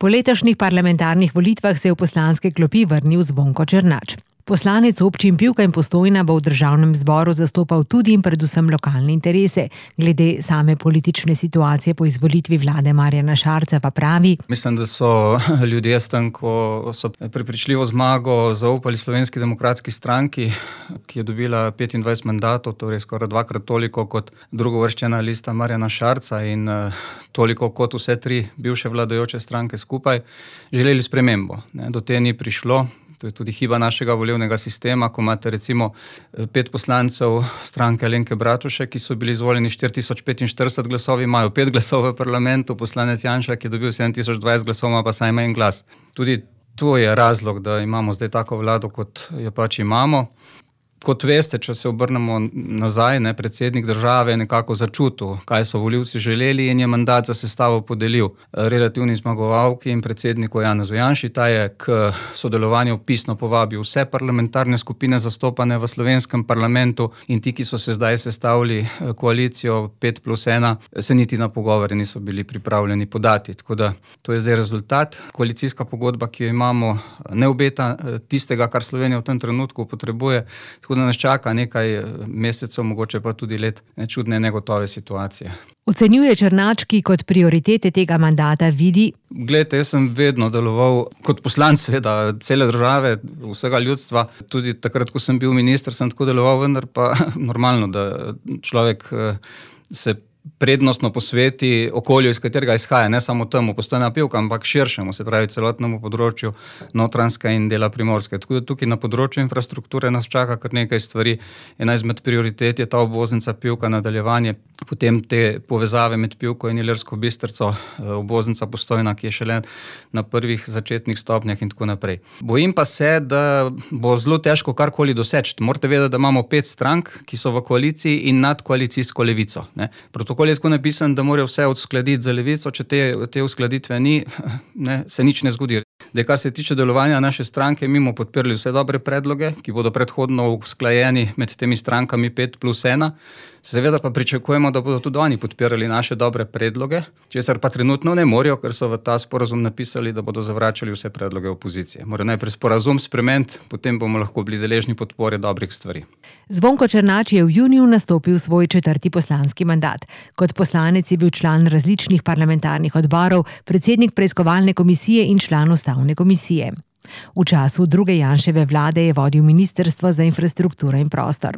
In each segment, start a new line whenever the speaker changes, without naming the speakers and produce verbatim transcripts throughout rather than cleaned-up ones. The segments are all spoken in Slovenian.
Po letošnjih parlamentarnih volitvah se je v poslanske klopi vrnil Zvonko Černač. Poslanec občin Pivka in Postojna bo v državnem zboru zastopal tudi in predvsem lokalne interese. Glede same politične situacije po izvolitvi vlade Marjana Šarca pa pravi:
Mislim, da so ljudje s tem, ko so prepričljivo zmago zaupali Slovenski demokratski stranki, ki je dobila petindvajset mandatov, torej skoraj dvakrat toliko kot drugovrščena lista Marjana Šarca in toliko kot vse tri bivše vladajoče stranke skupaj, želeli spremembo. Do te ni prišlo. To je tudi hiba našega volilnega sistema, ko imate recimo pet poslancev stranke Alenke Bratušek, ki so bili izvoljeni štiri tisoč petinštirideset glasovi, imajo pet glasov v parlamentu, poslanec Janša, ki je dobil sedem tisoč dvajset glasov, ima pa samo en glas. Tudi to je razlog, da imamo zdaj tako vlado, kot jo pač imamo. Kot veste, če se obrnemo nazaj, ne, predsednik države je nekako začutil, kaj so volivci želeli in je mandat za sestavo podelil relativni zmagovalki in predsedniku Janezu Janši. Ta je k sodelovanju pisno povabil vse parlamentarne skupine zastopane v slovenskem parlamentu in ti, ki so se zdaj sestavili koalicijo pet plus ena, se niti na pogovore niso bili pripravljeni podati. Tako da to je zdaj rezultat. Koalicijska pogodba, ki jo imamo, ne obeta tistega, kar Slovenija v tem trenutku potrebuje. Tako da nas čaka nekaj mesecev, mogoče pa tudi let čudne negotove situacije.
Ocenjuje Černač, ki kot prioritete tega mandata vidi:
Glejte, jaz sem vedno deloval kot poslanec seveda cele države, vsega ljudstva. Tudi takrat, ko sem bil minister, sem tako deloval, vendar pa normalno, da človek se prednostno posveti okolju, iz katerega izhaja, ne samo temu Postojna Pivka, ampak širšemu, se pravi celotnemu področju Notranjske in dela Primorske. Tako da tukaj na področju infrastrukture nas čaka kar nekaj stvari. Ena izmed prioritet je ta obvoznica Pivka, nadaljevanje, potem te povezave med Pivko in Ilirsko Bistrico, obvoznica Postojna, ki je šele na prvih začetnih stopnjah in tako naprej. Bojim pa se, da bo zelo težko karkoli doseči. Morate vedeti, da imamo pet strank, ki so v koaliciji in nad koalicijsko levico, ne. Protokol je tako napisan, da morajo vse odskladiti za levico, če te, te uskladitve ni, ne, se nič ne zgodi. Da, kar se tiče delovanja naše stranke, mi bomo podprli vse dobre predloge, ki bodo predhodno usklajeni med temi strankami pet plus ena. Seveda pa pričakujemo, da bodo tudi oni podpirali naše dobre predloge, česar pa trenutno ne morejo, ker so v ta sporazum napisali, da bodo zavračali vse predloge opozicije. Morajo najprej sporazum spremeniti, potem bomo lahko bili deležni podpore dobrih stvari.
Zvonko Černač je v juniju nastopil svoj četrti poslanski mandat. Kot poslanec je bil član različnih parlamentarnih odborov, predsednik preiskovalne komisije in član ustavne komisije. V času druge Janševe vlade je vodil Ministrstvo za infrastrukturo in prostor.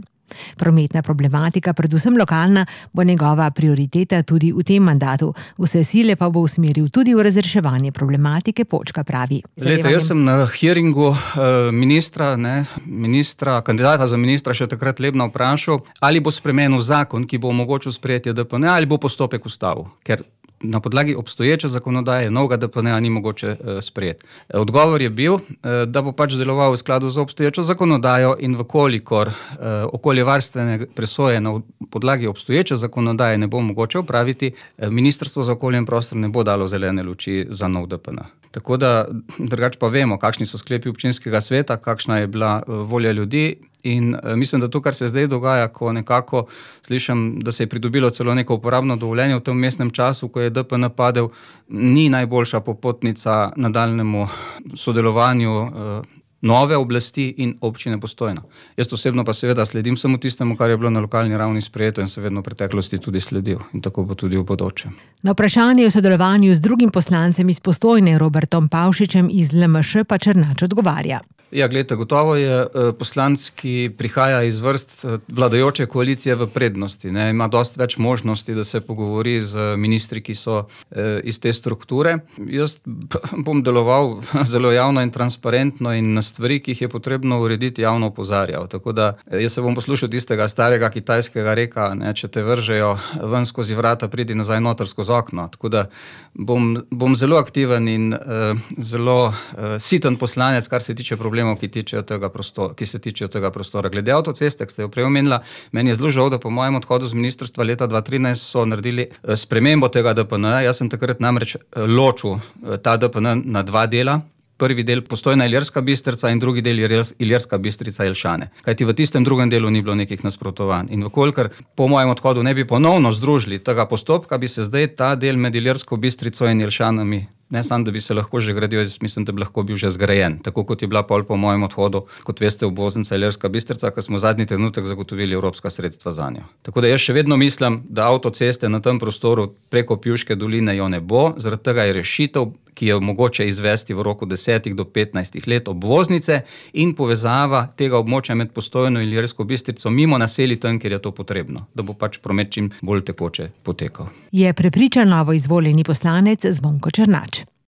Prometna problematika, predvsem lokalna, bo njegova prioriteta tudi v tem mandatu. Vse sile pa bo usmeril tudi v razreševanje problematike Počka, pravi.
Lejte, jaz sem na hearingu ministra, ne, ministra, kandidata za ministra še takrat Lebna vprašal, ali bo spremenil zakon, ki bo omogočil sprejetje D P N, ali bo postopek ustavil, ker na podlagi obstoječe zakonodaje novega D P N-ja ni mogoče uh, sprejeti. Odgovor je bil, uh, da bo pač deloval v skladu z obstoječo zakonodajo in vkolikor uh, okoljevarstvene presoje na podlagi obstoječe zakonodaje ne bo mogoče opraviti, uh, Ministrstvo za okolje in prostor ne bo dalo zelene luči za nov D P N. Tako da drugače pa vemo, kakšni so sklepi občinskega sveta, kakšna je bila uh, volja ljudi. In mislim, da to, kar se zdaj dogaja, ko nekako slišim, da se je pridobilo celo neko uporabno dovoljenje v tem mestnem času, ko je D P N padel, ni najboljša popotnica nadaljnemu sodelovanju eh, nove oblasti in občine Postojna. Jaz osebno pa seveda sledim samo tistemu, kar je bilo na lokalni ravni sprejeto in se vedno v preteklosti tudi sledil. In tako bo tudi v bodoče.
Na vprašanje o sodelovanju z drugim poslancem iz Postojne, Robertom Pavšičem iz L M Š, pa Černač odgovarja.
Ja, gledajte, gotovo je poslanec, ki prihaja iz vrst vladajoče koalicije v prednosti, ne, ima dosti več možnosti, da se pogovori z ministri, ki so eh, iz te strukture. Jaz bom deloval zelo javno in transparentno in na stvari, ki jih je potrebno urediti, javno opozarjal. Tako da jaz se bom poslušal tistega starega kitajskega reka, ne, če te vržejo ven skozi vrata, pridi nazaj noter skozi okno. Tako da bom, bom zelo aktiven in eh, zelo eh, siten poslanec, kar se tiče problemov, ki, tega prostora, ki se tičejo tega prostora. Glede avtoceste, ki ste jo prej omenila, meni je zelo žal, da po mojem odhodu z ministrstva leta dva tisoč trinajst so naredili spremembo tega D P N. Jaz sem takrat namreč ločil ta D P N na dva dela. Prvi del Postojna Ilirska Bistrica in drugi del Ilirska Bistrica Jelšane. Kajti v tistem drugem delu ni bilo nekih nasprotovanj. In vkolikor po mojem odhodu ne bi ponovno združili tega postopka, bi se zdaj ta del med Ilirsko Bistrico in Jelšanami Ne samo, da bi se lahko že gradil, jaz mislim, da bi lahko bil že zgrajen. Tako kot je bila pol po mojem odhodu, kot veste, obvoznica Ilirska Bistrica, ker smo zadnji trenutek zagotovili evropska sredstva zanjo. Tako da jaz še vedno mislim, da avtoceste na tem prostoru preko Pivške doline jo ne bo, zaradi tega je rešitev, ki je mogoče izvesti v roku desetih do petnajstih let, obvoznice in povezava tega območja med Postojno in Ilirsko Bistrico mimo naselij tam, kjer je to potrebno, da bo pač promet čim bolj tekoče potekal.
Je prepričan novo izvoljeni poslanec Zvonko Černač.